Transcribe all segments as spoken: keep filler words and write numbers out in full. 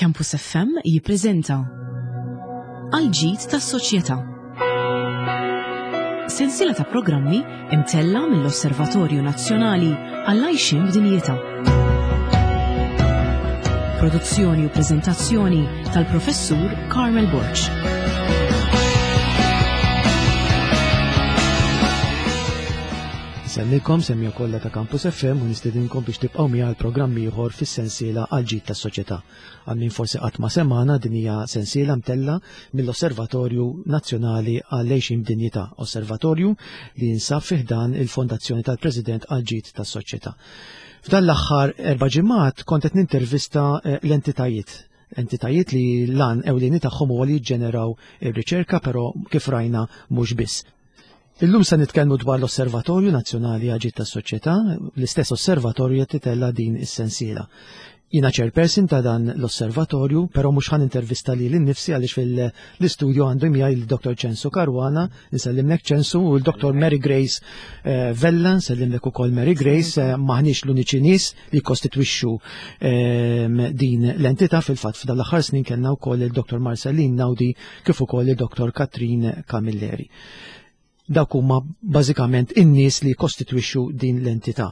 Campus F M jippreżenta Għal-ġid tas-soċjetà. Sensiela ta' programmi imtella mill-Osservatorju Nazzjonali għall-Għajxien b'Dinjità. Produzzjoni u preżentazzjoni tal-Professur Carmel Borg. Insellmilkom, semmiegħa kollha ta' Campus F M, u nistedinkom biex tibqgħu miegħi għal programm ieħor fis-sensiela Għal-ġid tas-soċjetà. Għal min forsi qatt ma semana, din hija sensiela mtella mill-Osservatorju Nazzjonali għall-Għejxin b'Dinjità, osservatorju li jinsab fih dan il-Fondazzjoni tal-President għal-ġid tas-soċjetà. F'dan l-aħħar erba' ġimgħat kont qed nintervista eh, l-entitajiet entitajiet li l-għan ewlieni tagħhom huwa li jiġġeneraw ir-riċerka, però kif rajna mhux biss. Illum se nitkellmu dwar l-Osservatorju Nazzjonali għal-Ġid tas-Soċjetà, l-istess osservatorju qed titella din is-sensiela. Jiena chairperson ta' dan l-osservatorju, però mhux ħa nintervista lili nnifsi għaliex fil-istudio għandu miegħi il-Dottor Ċensu Caruana, nsellimlek Ċensu, u l-Dottor Mary Grace eh, Vella, nsellimlek ukoll Mary Grace, eh, maħniex l-uniċi nies li kostitwixxu ehm, din l-entità. Fil-fatt f'dan l-aħħar snin kellna wkoll il-Dottor Marceline Naudi kif ukoll il-Dottor Katrin Camilleri. Dawk huma bażikament in-nies li kostitwixxu din l-entità.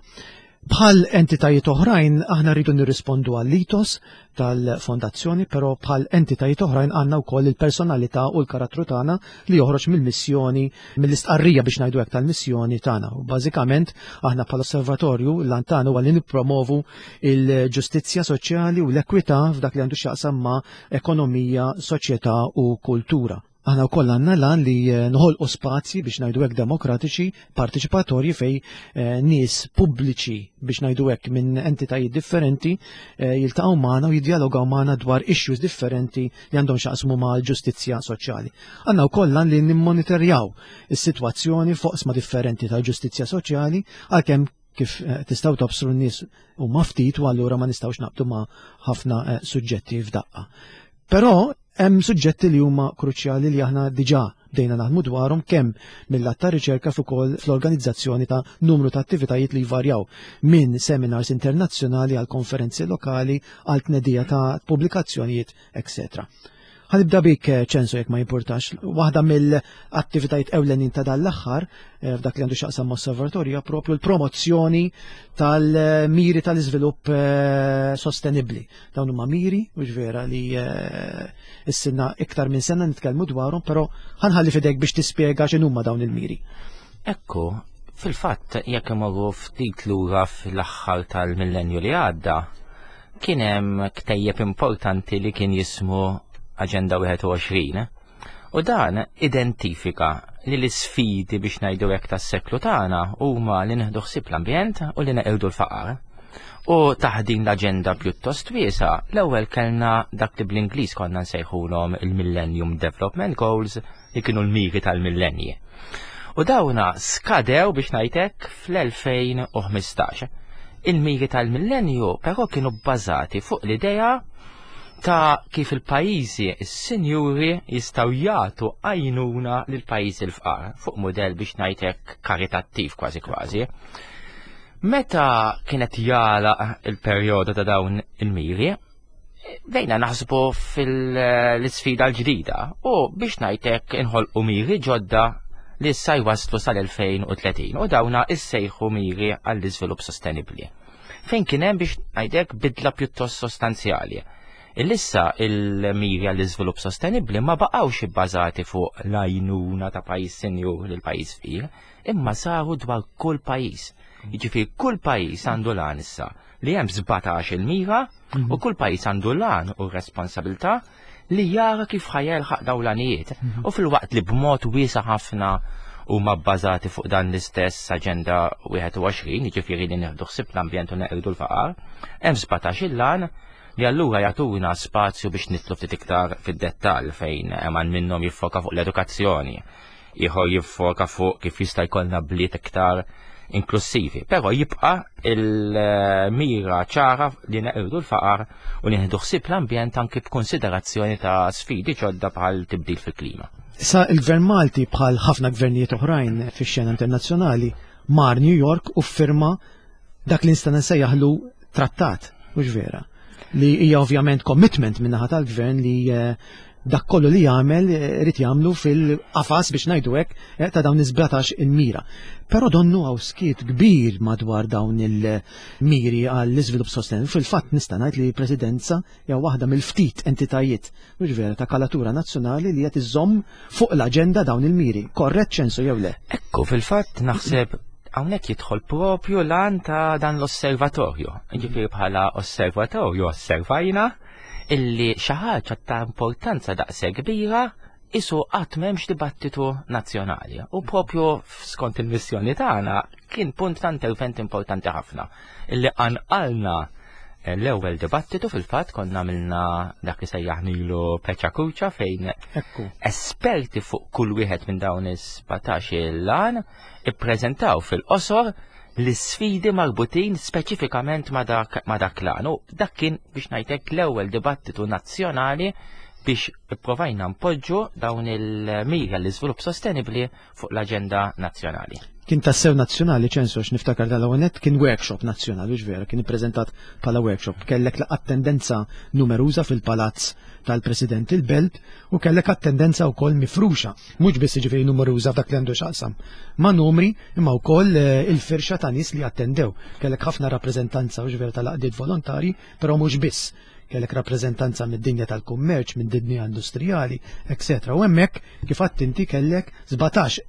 Bħal entitajiet oħrajn aħna rridu nirrispondu għall-ethos tal-fondazzjoni, però bħal entitajiet oħrajn għandna wkoll il-personalità u l-karattru tagħna li joħroġ mill-missjoni, mill-istqarrija biex ngħidu hekk tal-missjoni tagħna. U bażikament aħna bħal osservatorju l-għan tagħna huwa li nippromovu il-ġustizzja soċjali u l-ekwità f'dak li għandu x'jaqsam ma' ekonomija, soċjetà u kultura. Aħna wkoll għandna l-għan li eh, noħolqu spazji biex ngħidu hekk demokratiċi, partiċipatorji fej eh, nies pubbliċi biex ngħidu hekk minn entitajiet differenti eh, jiltaqgħu magħna u jiddialogaw magħna dwar issues differenti li għandhom x'jaqsmu mal-ġustizzja soċjali. Għandna wkoll l-għan li nimmonitorjaw is-sitwazzjoni f'oqsma differenti tal-ġustizzja soċjali, għalkemm kif tistgħu tobsru n-nies huma ftit u allura ma nistgħux naqbdu ma' ħafna suġġetti f'daqqa. Però hemm suġġetti li huma kruċjali li aħna diġà bdejna naħdmu dwarhom kemm mill-lat ta' riċerka fuq ukoll fl-organizzazzjoni ta' numru ta' attivitajiet li jvarjaw minn seminars internazzjonali għal konferenzi lokali għal tnedija ta' pubblikazzjonijiet, eċċetera. Ħa nibda bik, Ċensu, jekk ma jimpurtax. Waħda mill-attivitajiet ewlenin ta' dan l-aħħar eh, f'dak li għandu x'jaqsam osservatorju propju l-promozzjoni tal-miri tal-iżvilupp eh, sostenibbli. Dawn huma miri, mhux vera li eh, ilna iktar minn sena nitkellmu dwarhom, però ħa nħalli f'idejk biex tispjega x'inhuma dawn il-miri. Ekku, fil-fatt jekk imorru ftit lura fl-aħħar tal-millenju li għadda, kien hemm ktejjeb importanti li kien jismu Agenda wieħed u għoxrin. U dan identifika li l-isfidi biex ngħidu hekk tas-seklu tagħna huma li nieħdu ħsieb l-ambjent u li neqirdu l-faqar. U taħt din l-aġenda pjuttost wiesa, l-ewwel kellna dak li bl-Ingliż konna nsejħulhom il-Millennium Development Goals, li kienu l-miri tal-millenji. U dawna skadew biex ngħidlek fl-elfejn u ħmistax. Il-miri tal-millenju però kienu bbażati fuq l-idea ta' kif il-pajjiżi is-sinjuri jistgħu jagħtu għajnuna lil pajjiżi l-fqar fuq mudell biex ngħidlek karitattiv kważi kważi. Meta kienet jagħlaq il-perjodu ta' dawn il-miri, bdejna naħsbu fil-sfida l-ġdida u biex ngħidlek inħolqu miri ġodda li issa jwaslu sal-elfejn u tletin u dawna issejħu miri għall-iżvilupp sostenibbli. Fejn kien hemm biex ngħidlek bidla pjuttost sostanzjali. Issa il-miri għall-iżvilupp sostenibbli ma baqgħux ibbażati fuq l-għajnuna ta' pajjiż sinjur lil pajjiż fqir, imma saru dwar kull pajjiż. Jiġifieri kull pajjiż għandu l-għan issa li hemm sbatax il-mira u kull pajjiż għandu l-għan u responsabilità li jara kif ħa jilħaq dawn l-għanijiet. U filwaqt li b'mod wiesa ħafna huma bbażati fuq dan l-istess Aġenda wieħed u għoxrin, jiġifieri li nieħdu ħsieb l-ambjent u neqirdu l-faqar, hemm sbatax il-għan li allura jagħtuna spazju biex nidħlu ftit iktar fid-dettall, fejn hemm minnhom jiffoka fuq l-edukazzjoni, ieħor jiffoka fuq kif jista' jkollna bliet iktar inklusivi. Però jibqa' il-mira ċara li neqirdu l-faqar u nieħdu ħsieb l-ambjent anki b'konsiderazzjoni ta' sfidi ġodda bħal tibdil fil-klima. Sa il-Gvern Malti, bħal ħafna gvernijiet oħrajn fix-xena internazzjonali, mar New York u firma dak li nista' nsejjaħlu trattat, mhux vera? Li hija ovvjament commitment min-naħa tal-gvern li eh, dak kollu li jagħmel eh, irid jagħmlu fil-qafas biex ngħidu hekk eh, ta' dawn is-sbatax il-mira. Però donnu hawn skiet kbir madwar dawn il-miri għall-iżvilupp sostenibbli. Fil-fatt nista' ngħid li l-Presidenza hija waħda mill-ftit entitajiet mhux vera ta' kalatura nazzjonali li qed iżomm fuq l-aġenda dawn il-miri. Korrett, Ċensu, jew le? Ekku, fil-fatt naħseb hawnhekk jidħol propju l-għan ta' dan l-osservatorju. Ġifieri bħala osservatorju osservajna illi xi ħaġa ta' importanza daqshekk kbira isu qatt m'hemmx dibattitu nazzjonali. U propju skont il-missjoni tagħna kien punt ta' intervent importanti ħafna illi qanqalna l-ewwel dibattitu. Fil-fatt konna għamilna dak li sejjaħnilu Pecha Kucha fejn Ekku. esperti fuq kull wieħed minn dawn is-sbatax il-għan ippreżentaw fil-qosor l-sfidi marbutin speċifikament ma dak ma dak l-għan. U dak kien biex ngħidlek l-ewwel dibattitu nazzjonali biex ipprovajna npoġġu dawn il-mira l-iżvilupp sostenibbli fuq l-aġenda nazzjonali. Kien tassew nazzjonali, Ċensu, għax niftakar dal-għonet kien workshop nazzjonali, mhux vera, kien ippreżentat bħala workshop. Kellek attendenza numeruża fil-palazz tal-President il-Belt u kellek attendenza wkoll mifruxa, mhux biss jiġifieri numeruża f'dak li għandu x'jaqsam ma' numri, imma wkoll eh, il-firxa ta' nies li attendew. Kellek ħafna rappreżentanza, mhux vera, tal-għaqdiet volontari, però mhux biss. Kellek rappreżentanza mid-dinja tal-kummerċ, mid-dinja industrijali, eccetera. U hemmhekk kif għedt inti kellek sbatax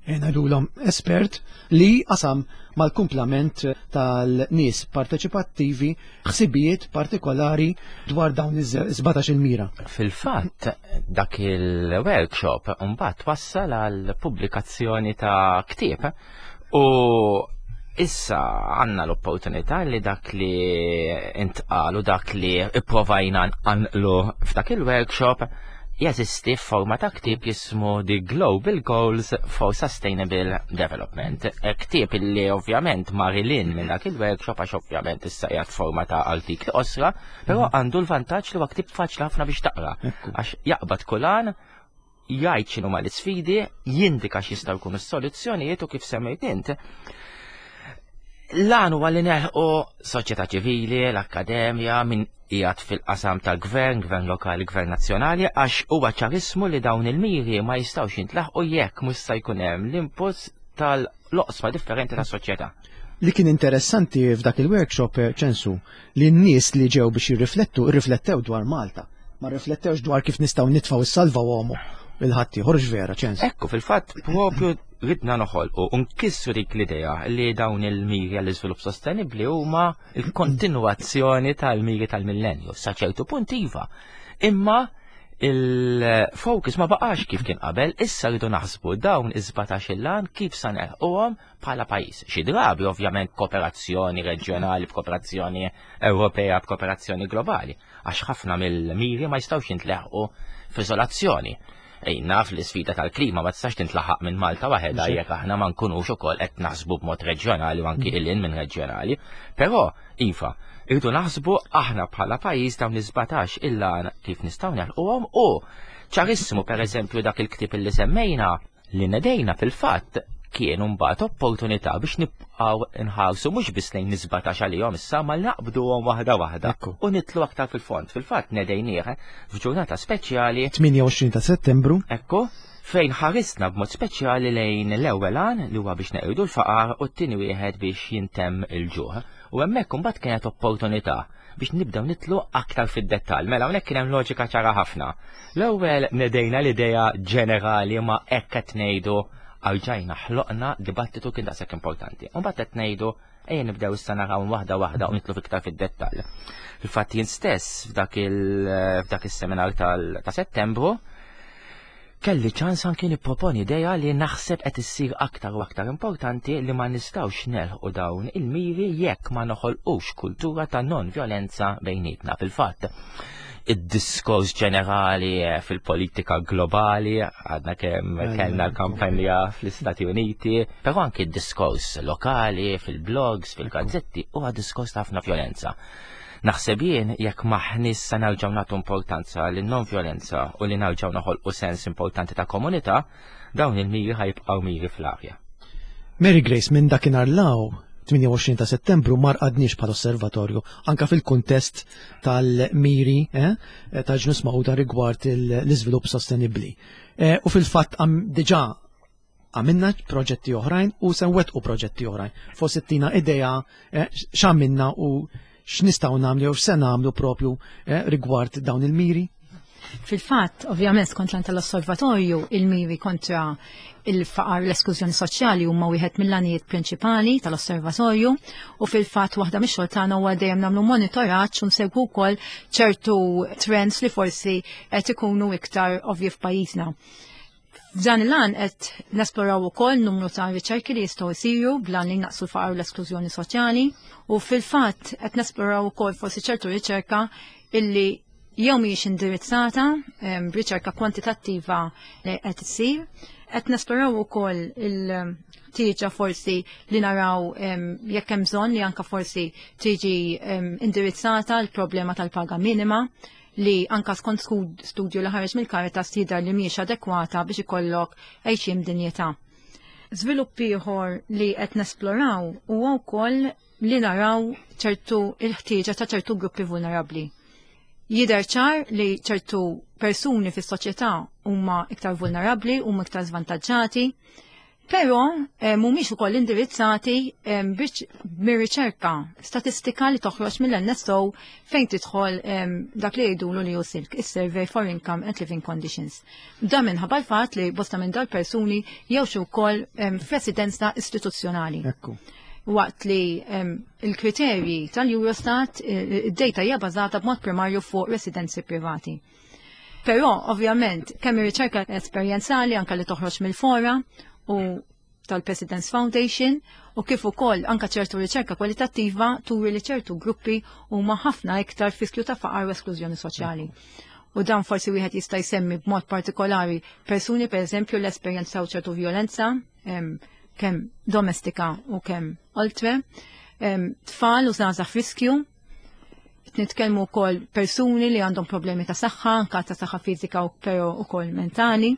ngħidulhom espert li qasam mal-kumplament tal-nies parteċipattivi ħsibijiet partikolari dwar dawn iż-sbatax il-mira. Fil-fatt, dak il-workshop mbagħad wassal għal pubblikazzjoni ta' ktieb u issa għandna l-opportunità li dak li intqalu, dak li ipprovajna nqanqlu f'dak il-workshop jeżisti f'forma ta' ktieb jismu The Global Goals for Sustainable Development. E Ktieb illi ovvjament mar lil hinn minn dak il-workshop għax ovvjament issa qiegħed forma ta' artikli qosra, però għandu l-vantaġġ li huwa ktieb faċli ħafna biex taqra. Ekku. Għax jaqbad kull għan, jgħid x'inhu ma l-isfidi, jindika x'jistgħu jkunu s-soluzzjonijiet u kif semmejt int. L-għan huwa li nilħqu soċjetà ċivili, l-akkademja, min qiegħed fil-qasam tal-gvern, gvern lokali, gvern nazzjonali, għax huwa ċarissimu li dawn il-miri ma jistgħux jintlaħqu jekk mhux se jkun hemm l-inputs tal-oqsma differenti tas-soċjetà. Li kien interessanti f'dak il-workshop, eh, Ċensu, li n-nies li ġew biex jirriflettu, irriflettew dwar Malta. Ma rriflettewx dwar kif nistgħu nitfgħu is-salva lil ħaddieħor, vera, Ċensu? Ekku, fil-fatt, propju ridna noħolqu u nkissru dik l-idea li dawn il-miri għall-iżvilupp sostenibbli huma il-kontinuazzjoni tal-miri tal-millenju. Sa ċertu punt iva. Imma il-focus ma baqax kif kien qabel, issa rridu naħsbu dawn iż-sbatax il-għan kif sa nilħquhom bħala pajjiż. Xi drabi ovvjament kooperazzjoni reġjonali, b'kooperazzjoni Ewropea, b'kooperazzjoni globali, għax ħafna mill-miri ma jistgħux jintleħqu f'izolazzjoni. Ej, naf li sfida tal-klima ma tistax tintlaħaq minn Malta waħedha jekk aħna ma nkunux ukoll qed naħsbu b'mod reġjonali u anki lil hinn minn reġjonali. Però, iva, irridu naħsbu aħna bħala pajjiż dawn is-sbatax il-għan kif nistgħu nilħquhom. U ċarissimu, pereżempju, dak il-ktieb li semmejna li nedejna fil-fatt kien mbagħad opportunità biex nibqgħu nħarsu mhux biss lejn is-sbatax għalihom issa ma naqbduhom waħda waħda Ekku. u nidħlu aktar fil-fond. Fil-fatt nedejnieh f'ġurnata speċjali. tmienja u għoxrin ta' Settembru. Ekku, fejn ħarisna b'mod speċjali lejn l-ewwel għan li huwa biex neqirdu l-faqar u t-tieni wieħed biex jintemm il-ġuħ. U hemmhekk imbagħad kienet opportunità biex nibdew nidħlu aktar fid-dettall. Mela hawnhekk kien hemm loġika ċara ħafna. L-ewwel nedejna l-idea ġenerali ma hekk qed ngħidu erġajna ħloqna dibattitu kien daqshekk importanti. U mbagħad qed ngħidu ejja nibdew issa naraw waħda waħda u nidħlu iktar fid-dettall. Fil-fatt jien stess f'dak il f'dak is-seminar tal- ta' Settembru kelli ċans anki nipproponi idea li naħseb qed issir aktar u aktar importanti, li ma nistgħux nilħqu dawn il-miri jekk ma noħolqux kultura ta' non-violenza bejnietna. Fil-fatt, id-diskors ġenerali eh, fil-politika globali, għadna kemm Mela, kellna l-kampanja fl-Istati Uniti, però anki id-diskors lokali, fil-blogs, fil-gazzetti, huwa diskors ta' ħafna violenza. Naħseb jien jekk maħnis sa nerġgħu nagħtu importanza lin non-violenza u li nerġgħu noħolqu sens importanti ta' komunità, dawn il-miri ħa jibqgħu miri fl-arja. Mary Grace, minn dakinhar 'l hawn tmienja u għoxrin ta' Settembru ma rqadniex bħal osservatorju, anka fil-kuntest tal-miri eh, tal-Ġnus Magħquda rigward l-iżvilupp sostenibbli. Eh, u fil-fatt diġà għamilna proġetti oħrajn u se nwettqu proġetti oħrajn. Forsi ttina idea eh, x'għamilna u x'nistgħu nagħmlu jew x'se nagħmlu propju rigward dawn il-miri? Fil-fatt, ovvjament, skont l tal-osservatorju, il-miri kontra il-faqar, l-esklużjoni soċjali huma wieħed mill-għanijiet prinċipali tal-osservatorju u fil-fatt waħda mix-xogħol tagħna huwa dejjem nagħmlu monitoraġġ u nsegwu wkoll ċertu trends li forsi qed ikunu iktar ovvji f'pajjiżna. F'dan il-għan qed nesploraw ukoll numru ta' riċerki li jistgħu jsiru bl-għan li naqsu l-faqar u l-esklużjoni soċjali u fil-fatt qed nesploraw ukoll forsi ċertu riċerka illi jew mhijiex indirizzata b'riċerka kwantitattiva li qed issir. Qed nesploraw ukoll il-ħtieġa forsi li naraw jekk hemm bżonn li anka forsi tiġi indirizzata l-problema tal-paga minima, li anka skont studju li ħareġ mill-Caritas jidher li mhijiex adekwata biex ikollok għajxien b'dinjità. Żvilupp ieħor li qed nesploraw huwa wkoll li naraw ċertu il-ħtieġa ta' ċertu gruppi vulnerabbli. Jidher ċar li ċertu persuni fis-soċjetà huma iktar vulnerabbli, huma iktar żvantaġġati, però eh, mhumiex ukoll indirizzati eh, biex mir-riċerka statistika li toħroġ mill-N S O fejn tidħol eh, dak li jgħidulu li hu SILC, is-Survey for Income and Living Conditions. Dan minħabba l-fatt li bosta minn dal-persuni jgħixu wkoll f'residenza istituzzjonali. Ekku. Waqt li il-kriterji tal-Eurostat, id-data hija bażata b'mod primarju fuq residenzi privati. Però, ovvjament, kemm ir-riċerka esperjenzali anka li toħroġ mill-fora u tal-President's Foundation u kif ukoll anka ċertu riċerka kwalitattiva turi li ċertu gruppi huma ħafna iktar f'riskju ta' faqar u esklużjoni soċjali. U dan forsi wieħed jista' jsemmi b'mod partikolari persuni, pereżempju, li esperjenzaw ċertu violenza kemm domestika u kemm oltre, tfal u żgħażagħ f'riskju, nitkellmu wkoll persuni li għandhom problemi ta' saħħa, anka ta' saħħa fiżika u però wkoll mentali.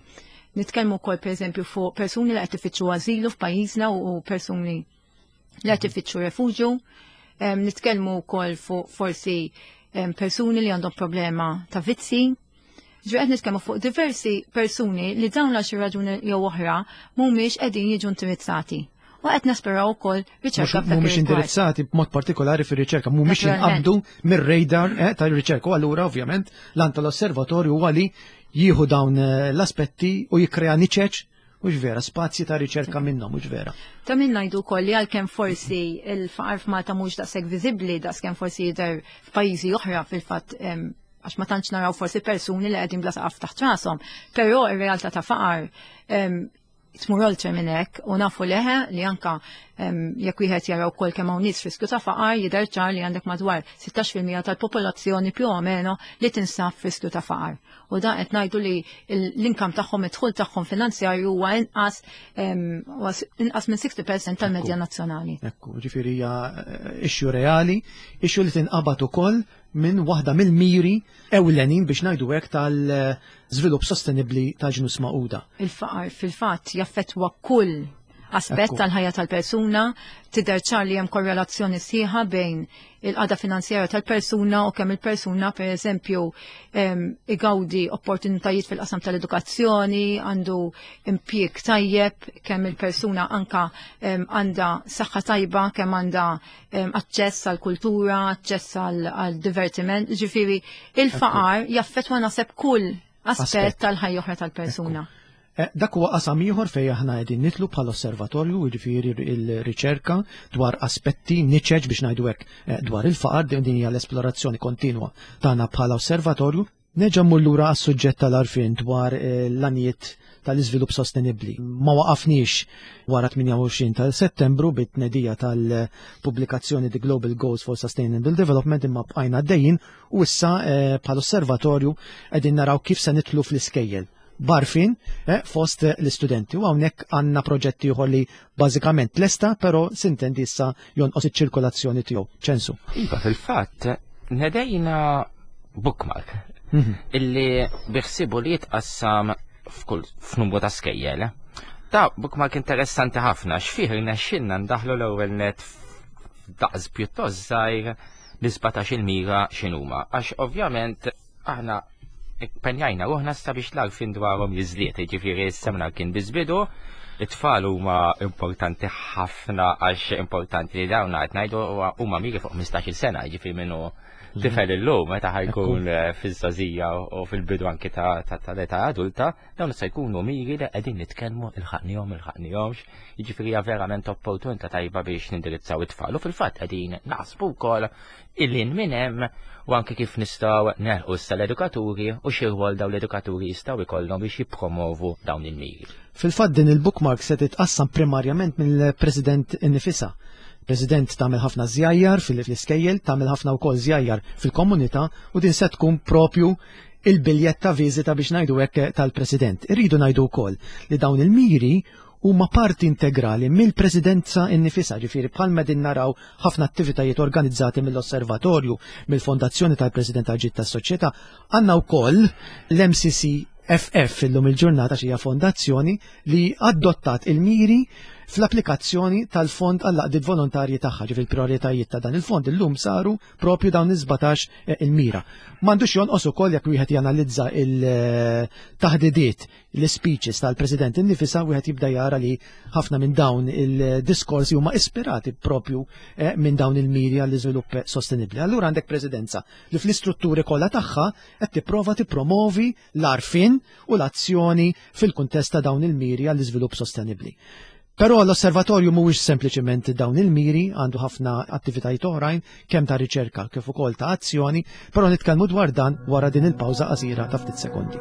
Nitkellmu wkoll, pereżempju, fuq persuni li qed ifittxu ażilu f'pajjiżna u persuni li qed ifittxu refuġju. Nitkellmu wkoll fuq forsi persuni li għandhom problema ta' vizzi. Ġu qed nitkellmu fuq diversi persuni li dawn għal xi raġuni jew oħra mhumiex qegħdin jiġu indirizzati. U qed nisperaw ukoll riċerka. Mhumiex indirizzati b'mod partikolari fir-riċerka, mhumiex jinqabdu mir-radar eh, tal-riċerka. U allura ovvjament l-għan tal-osservatorju huwa li jieħu dawn eh, l-aspetti u jikkrea niċeċ, mhux vera, spazji ta' riċerka minnhom, mhux vera? Ta' min ngħidu wkoll li għalkemm forsi il-faqar f'Malta mhux daqshekk viżibbli daqskemm forsi jidher f'pajjiżi oħra, fil-fatt għax ma tantx naraw forsi persuni li qegħdin bla saqaf taħt rashom, però ir-realtà ta' faqar tmur oltre minn hekk u nafu leħe li anka jekk wieħed jara wkoll kemm hawn nies f'riskju ta' faqar, jidher ċar li għandek madwar sittax fil-mija tal-popolazzjoni più o meno li tinsab f'riskju ta' faqar. U dan qed ngħidu li l-income tagħhom, id-dħul tagħhom finanzjarju huwa inqas inqas minn sittin fil-mija tal-medja nazzjonali. Ekku, ġifieri hija eh, issue reali, issue li tinqabad ukoll minn waħda mill-miri ewlenin, biex ngħidu hekk, tal-żvilupp sostenibbli tal-Ġnus Magħquda. Il-faqar fil-fatt jaffettwa kull aspett tal-ħajja tal-persuna, tidher ċar li hemm korrelazzjoni sħiħa bejn il-qagħda finanzjarja tal-persuna u kemm il-persuna, per eżempju, igawdi opportunitajiet fil-qasam tal-edukazzjoni, għandu impjieg tajjeb, kemm il-persuna anka għandha saħħa tajba, kemm għandha aċċess għal kultura, aċċess għal divertiment, ġifieri il-faqar jaffettwa naħseb kull aspett tal-ħajja oħra tal-persuna. Eh, dak huwa qasam ieħor fejn aħna qegħdin nidħlu bħala osservatorju, jiġifieri il-riċerka dwar aspetti, niċeċ, biex ngħidu hekk, eh, dwar il-faqar. Din hija l-esplorazzjoni kontinwa tagħna bħala osservatorju. Nerġa' mmur lura għas-suġġett tal-għarfien dwar eh, l-għanijiet tal-iżvilupp sostenibbli. Ma waqafniex wara tmienja u għoxrin ta' Settembru bit-tnedija tal-pubblikazzjoni The Global Goals for Sustainable Development, imma bqajna għaddejjin u issa bħala osservatorju qegħdin naraw kif se nidħlu fl-iskejjel b'għarfien eh, fost l-istudenti. U hawnhekk għandna proġetti ieħor li bażikament lesta, però s'intendi issa jonqos iċ-ċirkolazzjoni tiegħu. Ċensu. Iva, fil-fatt, nedejna bookmark mhm. illi biħsibu li jitqassam f'kull f'numru ta' skejjel. Ta' bookmark interessanti ħafna, x'fih rnexxilna ndaħlu l-ewwel net f'daqs pjuttost żgħir l-sbatax il-mira x'inhuma. Għax ovvjament aħna penjajna ruħna sabiex l-għarfien dwarhom jiżdied, jiġifieri s-seminar kien biss bidu, it-tfal huma importanti ħafna għax importanti li dawn qed ngħidu huma miri fuq ħmistax-il sena, jiġifieri minnu tifel illum meta ħajkun fiż-żgħażija u fil-bidu anki tal-età adulta, dawn se jkunu miri li qegħdin nitkellmu ilħaqnihom ilħaqnihomx, jiġifieri hija verament opportunità tajba biex nindirizzaw it-tfal. U fil-fatt qegħdin naħsbu wkoll illi minn hemm u anke kif nistgħu nelħqu issa l-edukaturi u xi rwol dawn l-edukaturi jistgħu jkollhom biex jippromovu dawn il-miri. Fil-fatt din il-bookmark se titqassam primarjament mill-President innifisha. President tagħmel ħafna żjajjar fil-iskejjel, tagħmel ħafna wkoll żjajjar fil-komunità u din se tkun propju il-biljett ta' viżita biex ngħidu hekk tal-President. Irridu ngħidu wkoll li dawn il-miri huma parti integrali mill-Presidenza innifisha, ġifieri bħalma din naraw ħafna attivitajiet organizzati mill-Osservatorju, mill-Fondazzjoni tal-President tal-Ġid tas-Soċjetà, għandna wkoll l-M C C F F illum il-ġurnata xi fondazzjoni li adottat il-miri fl-applikazzjoni tal-fond għall-għaqdiet volontarji tagħha, ġifieri il-prioritajiet ta' dan il-fond illum saru propju dawn is-sbatax, eh, il-mira. M'għandux jonqos ukoll jekk wieħed janalizza il-taħdidiet, l-speeches tal-President innifisha, wieħed jibda jara li ħafna minn dawn il-diskorsi huma ispirati propju, eh, minn dawn il-miri għall-iżvilupp sostenibbli. Allura għandek presidenza li fl-istrutturi kollha tagħha qed tipprova tippromovi l-għarfien u l-azzjoni fil-kuntest ta' dawn il-miri għall-iżvilupp sostenibbli. Però l-osservatorju mhuwiex sempliċement dawn il-miri, għandu ħafna attivitajiet oħrajn, kemm ta' riċerka kif ukoll ta' azzjoni, però nitkellmu dwar dan wara din il-pawża qasira ta' ftit sekondi.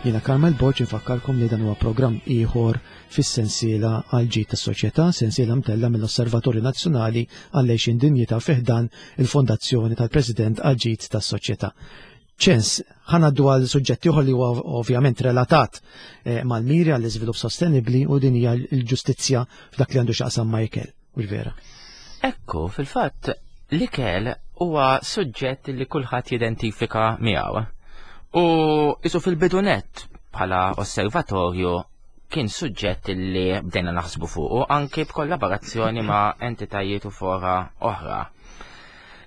Jiena Carmel Borg infakkarkom li dan huwa programm ieħor fis-sensiela għal ġid tas-soċjetà, sensiela mtella mill-Osservatorju Nazzjonali għall-Għixien Dinjità fi ħdan il-Fondazzjoni tal-President għal ġid tas-Soċjetà. Ċens, ħanaddu għal suġġett ieħor li huwa ovvjament relatat, eh, mal-miri għall-iżvilupp sostenibbli u din hija l-ġustizzja f'dak li għandu x'jaqsam ma' ikel, u vera. Ekku, fil-fatt, l-ikel huwa suġġett li kulħadd jidentifika miegħu. U isu fil-bidunet bħala osservatorju kien suġġett li bdejna naħsbu fuqu anke b'kollaborazzjoni ma' entitajiet u fora oħra.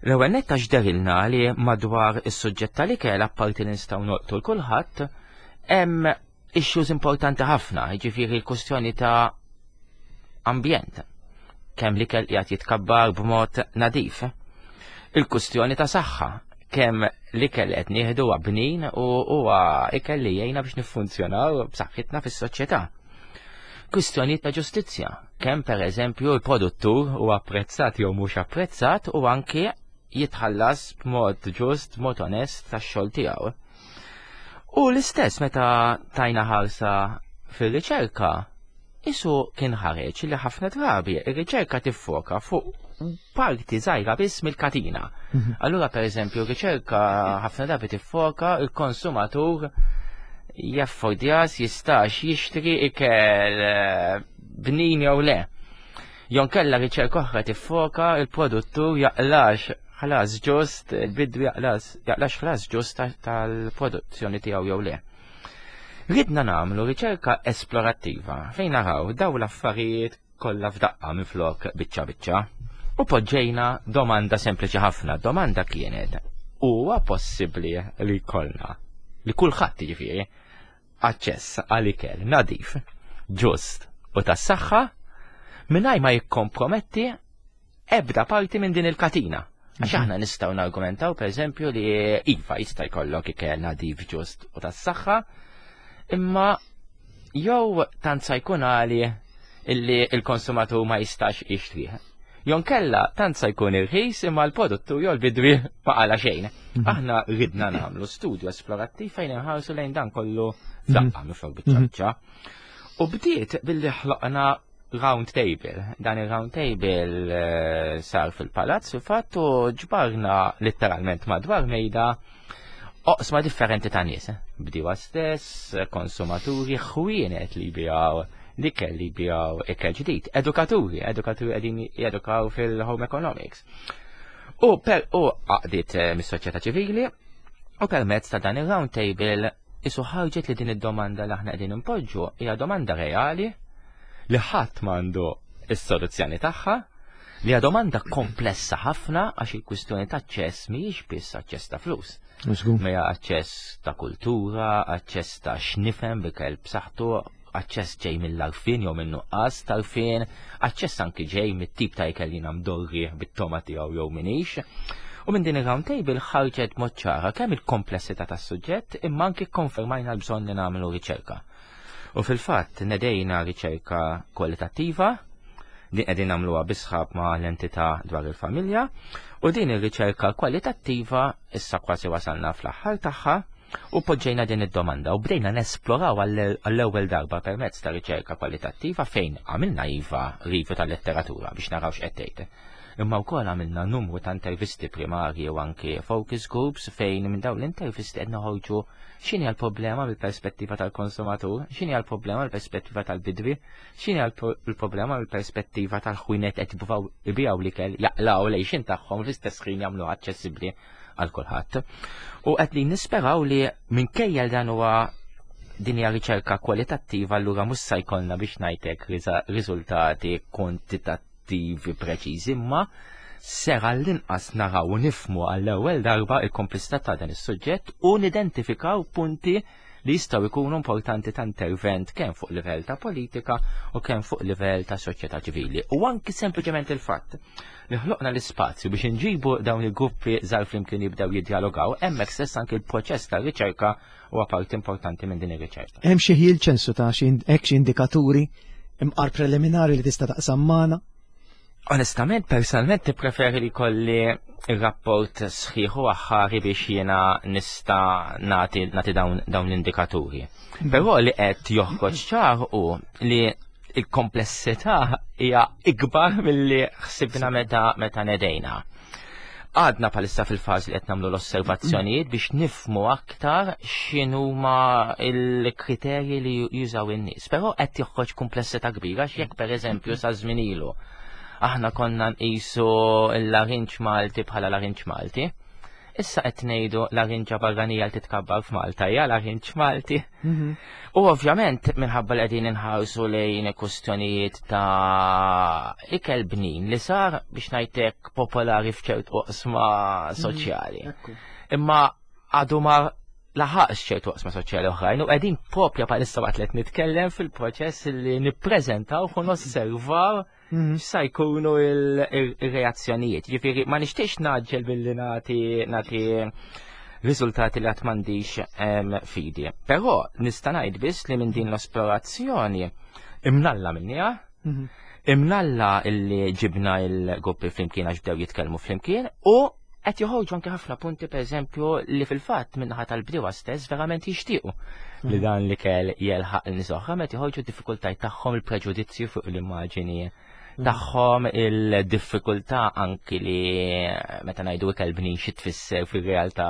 L-ewwel nett għax derilna li madwar is-suġġett tal-ikel apparti li nistgħu nolqtu l kulħadd hemm issues importanti ħafna, jiġifieri l-kwestjoni ta' ambjent, kemm l-ikel qiegħed jitkabbar b'mod nadif, il-kwestjoni ta' saħħa, kemm l-ikel qed nieħdu huwa bnin u huwa ikel li jgħinna biex niffunzjonaw b'saħħitna fis-soċjetà. Kwistjoni ta' ġustizzja, kemm pereżempju l-produttur huwa apprezzat jew mhux apprezzat u anke jitħallas b'mod ġust, b'mod onest tax-xogħol tiegħu. U l-istess meta tajna ħarsa fir-riċerka, isu kien ħareġ li ħafna drabi ir-riċerka tiffoka fuq parti żgħira biss mill-katina. Mhm. Allura pereżempju r-riċerka ħafna drabi tiffoka il-konsumatur jaffordjas jistax jixtri ikel, eh, bnin jew le. Jon kella riċerka oħra tiffoka il-produttur jaqlax ħlas ġust, il-bidwi jaqlax, jaqlax ħlas ġust ta-, tal-produzzjoni tiegħu jew le. Ridna nagħmlu riċerka esplorattiva fejn naraw daw l-affarijiet kollha f'daqqa minflok biċċa biċċa. U poġġejna domanda sempliċi ħafna. Domanda kienet: huwa possibbli li jkollna, li kulħadd jiġifieri, aċċess għal ikel nadif, ġust u tas-saħħa mingħajr ma jikkomprometti ebda parti minn din il-katina? Għax Mhm. aħna nistgħu nargumentaw pereżempju li iva jista' jkollok ikel nadif, ġust u tas-saħħa, imma jew tant sa jkun għali illi il-konsumatur ma jistax jixtrih. Jonkella tant sa jkun irħis imma l-produttur jew l-bidwi ma qala xejn. Mhm. Aħna ridna nagħmlu studju esplorattiv fejn inħarsu lejn dan kollu f'daqqa mifrok biċ-ċaċċa. U bdiet billi ħloqna round table. Dan il-round table eh, sar fil-palazz fil-fatt u ġbarna letteralment madwar mejda oqsma differenti ta' nies. Bdiewa stess, konsumaturi, ħwienet li jbigħu l-ikel li jbigħu ikel ġdid, edukaturi, edukaturi qegħdin jedukaw fil-home economics. U per u għaqdiet eh, mis-soċjetà ċivili u permezz ta' dan il-round table isu ħarġet li din id-domanda li aħna qegħdin impoġġu hija domanda reali li ħadd m'għandu is-soluzzjoni tagħha, li hija domanda komplessa ħafna għax il-kwistjoni ta' aċċess mhijiex biss aċċess ta' flus. Żgur. Ma hija aċċess ta' kultura, aċċess ta' x'nifhem b'ikel b'saħħtu, aċċess ġej mill-għarfien jew minn nuqqas tal-għarfien, aċċess anki ġej mit-tip ta' ikel li mdorri bit-toma tiegħu jew minix. U minn din il-round table ħarġet mod ċara kemm il-komplessità tas-suġġett imma anki konfermajna l-bżonn li nagħmlu riċerka. U fil-fatt nedejna riċerka kwalitattiva din qegħdin nagħmluha bi sħab ma' l-entità dwar il-familja u din ir-riċerka kwalitattiva issa kważi wasalna fl-aħħar tagħha u poġġejna din id-domanda u bdejna nesploraw għall-ewwel darba permezz ta' riċerka kwalitattiva fejn għamilna iva review tal-letteratura biex naraw x'qed tgħid. Imma wkoll għamilna numru ta' intervisti primarji u anki focus groups fejn minn dawn l-intervisti qed noħorġu x'inhi l-problema mill-perspettiva tal-konsumatur, x'inhi l-problema mill-perspettiva tal-bidwi, x'inhi l-problema mill-perspettiva tal-ħwienet qed jippruvaw ibigħu l-ikel jaqilgħu l-għixien tagħhom fl-istess ħin jagħmlu aċċessibbli għal kulħadd. U qed li nisperaw li minkejja dan huwa din hija riċerka kwalitattiva allura mhux se jkollna biex ngħidlek riżultati kwantitattivi preċiżi, imma ser għall-inqas naraw u nifhmu għall-ewwel darba il-komplessità ta' dan is-suġġett u nidentifikaw punti li jistgħu jkunu importanti ta' intervent kemm fuq livell ta' politika u kemm fuq livell ta' soċjetà ċivili. U anki sempliċement il-fatt li ħloqna l-ispazju biex inġibu dawn il-gruppi żgħar flimkien jibdew jiddialogaw, hemmhekk stess anki l-proċess ta' riċerka huwa parti importanti minn din ir-riċerka. Hemm xi ħjiel ċensu ta' xi hekk xi indikaturi imqar preliminari li tista' taqsam magħna? Onestament, personalment, nippreferi li jkolli il-rapport sħiħ u aħħari biex jiena nista' nagħti nagħti dawn, dawn l-indikaturi. Però li qed joħroġ ċar u li il-komplessità hija ikbar milli ħsibna meta meta nedejna. Għadna bħalissa fil-fażi li qed nagħmlu l-osservazzjonijiet biex nifhmu aktar x'inhuma l-kriterji li jużaw in-nies. Però qed joħroġ komplessità kbira x'jekk pereżempju sa żmien ilu aħna konna nqisu l-larinġ Malti bħala larinġ Malti. Issa qed ngħidu larinġa barranija li titkabbar f'Malta hija larinġ Malti. Mhm. U ovvjament minħabba li qegħdin inħarsu lejn kwistjonijiet ta' ikel bnin li sar biex ngħidlek popolari f'ċert oqsma soċjali. Ekku. Imma għadu ma laħaqx ċertu oqsma soċjali oħrajn u qegħdin propja bħalissa waqt li qed nitkellem fil-proċess li nippreżentaw u nosservaw Mhm. x'sa jkunu il-reazzjonijiet. Ġifieri ma nixtiex ngħaġġel billi nagħti nagħti riżultati li qatt m'għandix em, fidi. Però nista' ngħid biss li minn din l-esplorazzjoni imnalla minniha, Mhm. imnalla illi ġibna il-gruppi flimkien għax bdew jitkellmu flimkien u qed joħorġu anke ħafna punti pereżempju li fil-fatt min-naħa tal-bdiewa stess verament jixtiequ li dan l-ikel jelħaq l-nies oħra meta joħorġu d-diffikultajiet tagħhom il-preġudizzju fuq l-immaġini tagħhom il-diffikultà anki li meta ngħidu ikel bnin xi tfisser fir-realtà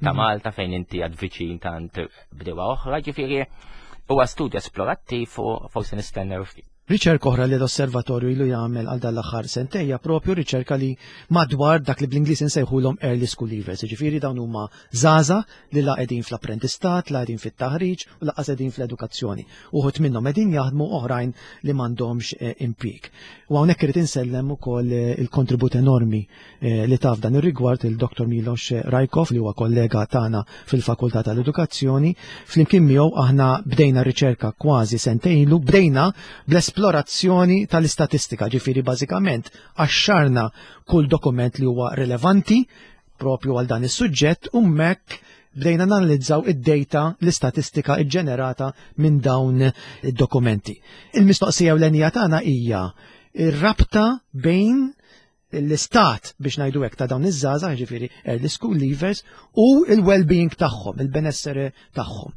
ta' Malta fejn inti għad viċin tant bdiewa oħra, ġifieri huwa studju esplorattiv u forsi nistennew ftit. Riċerka oħra li l-osservatorju ilu jagħmel għal dan l-aħħar sentejja propju riċerka li madwar dak li bl-Ingliż insejħulhom early school leavers, jiġifieri dawn huma żgħażagħ li la qegħdin fl-apprentistat, la qegħdin fit-taħriġ u lanqas qegħdin fl-edukazzjoni. Uħud minnhom qegħdin jaħdmu oħrajn li m'għandhomx eh, impjieg. U hawnhekk irid insellem ukoll eh, il-kontribut enormi eh, li taf dan ir-rigward il-Dr. Milos Rajkov li huwa kollega tagħna fil-Fakultà tal-Edukazzjoni. Flimkien miegħu aħna bdejna riċerka kważi sentejn ilu, bdejna bl-esplorazzjoni tal-istatistika, ġifieri bażikament qaxxarna kull dokument li huwa rilevanti propju għal dan is-suġġett u hemmhekk bdejna nanalizzaw id-data, l-istatistika ġġenerata minn dawn id-dokumenti. Il-mistoqsija ewlenija tagħna hija ir-rabta bejn l-istat biex ngħidu hekk ta' dawn iż-żgħażagħ, ġifieri early school leavers, u il-well-being tagħhom, il-benessere tagħhom.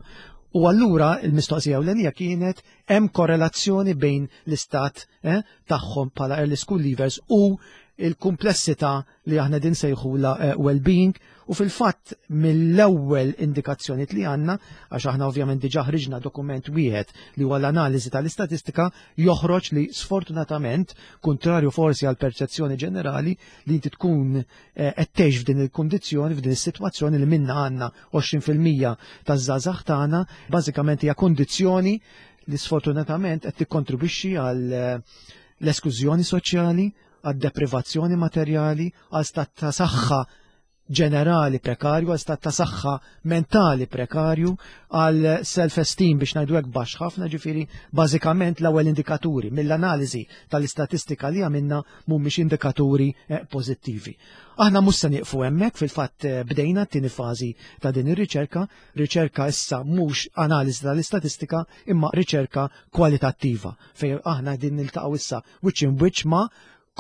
U allura il-mistoqsija ewlenija kienet hemm korrelazzjoni bejn l-istat eh, tagħhom bħala early school leavers u il-komplessità li aħna din sejħula eh, well-being. U fil-fatt mill-ewwel indikazzjoni li għandna, għax aħna ovvjament diġà ħriġna dokument wieħed li huwa l-analiżi tal-istatistika, joħroġ li sfortunatament, kontrarju forsi għal perċezzjoni ġenerali li inti tkun eh, qed tgħix f'din il-kundizzjoni, f'din is-sitwazzjoni li minna għandna għoxrin fil-mija taż-żgħażagħ tagħna, bażikament hija kondizzjoni li sfortunatament qed tikkontribwixxi għal eh, l-esklużjoni soċjali, għad deprivazzjoni materjali, għal stat ta' saħħa ġenerali prekarju, għal stat ta' saħħa mentali prekarju, għal self-esteem biex ngħidu hekk baxx ħafna. Ġifieri bażikament l-ewwel indikaturi mill-analiżi tal-istatistika li għamilna mhumiex indikaturi eh, pożittivi. Aħna mhux se nieqfu hemmhekk, fil-fatt eh, bdejna t-tieni fażi ta' din ir-riċerka, riċerka issa mhux analiżi tal-istatistika imma riċerka kwalitattiva fejn aħna din niltaqgħu issa wiċċ in wiċċ ma'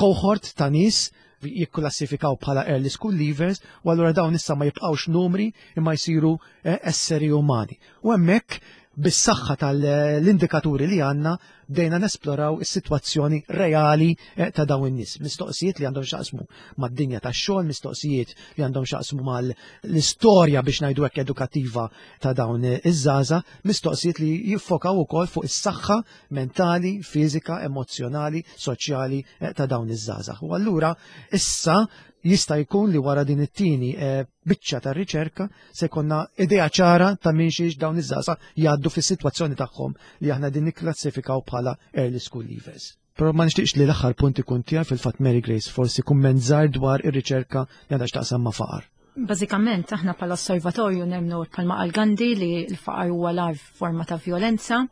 cohort ta' nies jikklassifikaw bħala early school leavers, u allura dawn issa ma jibqgħux numri imma jsiru eh, esseri umani. U hemmhekk bis-saħħa tal-indikaturi li għandna bdejna nesploraw is-sitwazzjoni reali eh, ta' dawn in-nies. Mistoqsijiet li għandhom x'jaqsmu mad-dinja tax-xogħol, mistoqsijiet li għandhom x'jaqsmu mal-istorja biex ngħidu hekk edukattiva ta' dawn iż-żgħażagħ, mistoqsijiet li jiffokaw ukoll fuq is-saħħa mentali, fiżika, emozjonali, soċjali eh, ta' dawn iż-żgħażagħ. U allura issa jista' jkun li wara din it-tieni eh, biċċa ta' riċerka se jkollna idea ċara ta' minn xiex dawn iż-żgħażagħ jgħaddu fis-sitwazzjoni tagħhom li aħna din nikklassifikaw bħala early school leavers. Però ma nixtieqx li l-aħħar punt ikun tiegħi. Fil-fatt, Mary Grace, forsi kumment żgħir dwar ir-riċerka li għandha x'taqsam ma' faqar. Bażikament aħna bħala osservatorju nemnu bħalma qal Gandhi li l-faqar huwa l forma ta' violenza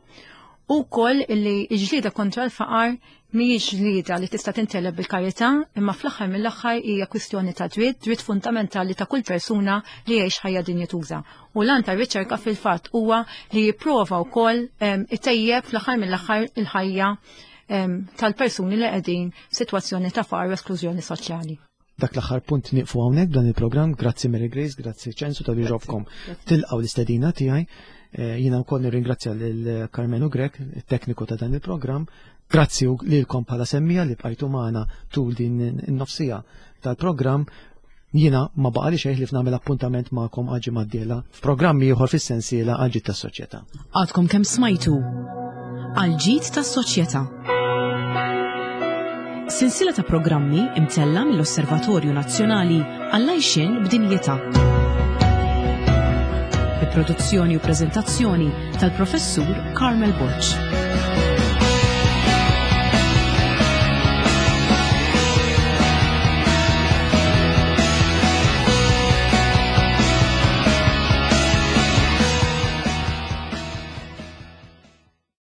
u koll li l-ġlieda kontra l-faqar mhijiex ġlieda li tista' tinteleb bil-karità, imma fl-aħħar mill-aħħar hija kwistjoni ta' dritt, dritt fundamentali ta' kull persuna li jgħix ħajja dinjituża. U l-għan tar-riċerka fil-fatt huwa li jipprova wkoll itejjeb fl-aħħar mill-aħħar il-ħajja tal-persuni li qegħdin f'sitwazzjoni ta' faqar u esklużjoni soċjali. Dak l-aħħar punt nieqfu hawnhekk dan il-programm. Grazzi Mary Grace, grazzi Ċensu talli ġobkom tilqgħu l-istedina tiegħi. Eh, jiena wkoll nirringrazzja lil Carmenu Grech, il-tekniku ta' dan il-programm. Grazzi lilkom bħala semmiegħa li bqajtu magħna tul din in-nofs siegħa tal-programm. Jiena ma baqali xejn li nagħmel appuntament magħkom għal ġimgħa d-dieħla f'programmi ieħor fis-sensiela Għal Ġid tas-Soċjetà. Għadkom kemm smajtu Għal Ġid tas-Soċjetà. Silsila ta' programmi imtella mill-Osservatorju Nazzjonali għall-Għajxien b'Dinjità. Bi produzzjoni u prezentazzjoni tal-Professur Carmel Borg.